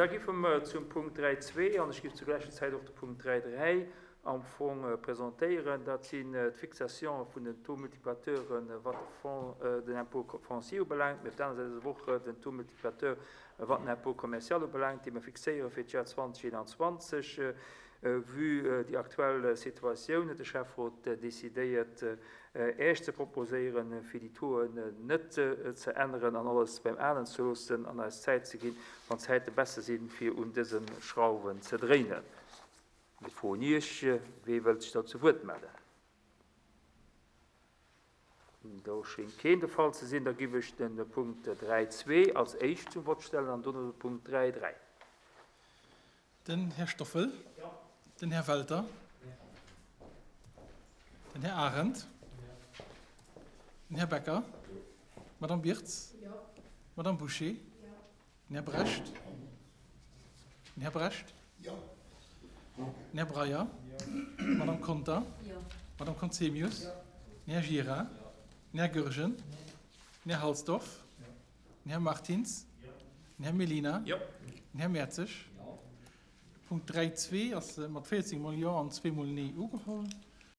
Da giffe mer zum Punkt 3.2, an ech giff zur gläicher Zäit och de Punkt 3.3 am Fong presentéieren, dat sinn d'Fixation vun den Taux-multiplicateuren, wat de Fonds, den Impôt foncier ubelaangt, mee op der aner Säit ass awer och den Taux multiplicateur, wat den Impôt commercial ubelaangt, dee mer fixéiere fir d'Joer 2021. Vue déi aktuell Situatioun huet de Schäfferot decidéiert, Äech ze proposéieren, fir déi Tauxen net ze änneren an alles beim Alen ze loossen an eis Zäit ze ginn, wann d'Zäite besser sinn, fir un dëse Schrauwen ze dréinen. Mir froen Iech, Wee wëllt sech do zu Wuert mellen? Do schéngt keen de Fall ze sinn. Da giff ech de Punkt 3.2 als éischt zum Vott stellen an dono de Punkt 3.3. Den Här Stoffel. Den Här Welter. Den Här Arendt. Den Här Becker. D'Madame Birtz. D'Madame Bouché. Den Här Brecht. Den Här Brecht. Den Här Breyer. D'Madame Conter. D'Madame Conzemius. Den Här Gira. Den Här Goergen. Den Här Halsdorf. Den Här Martins. Den Här Mellina. Den Här Mertzig. Punkt 3.2 ass mat 14 mol Jo an zweemol Nee ugeholl.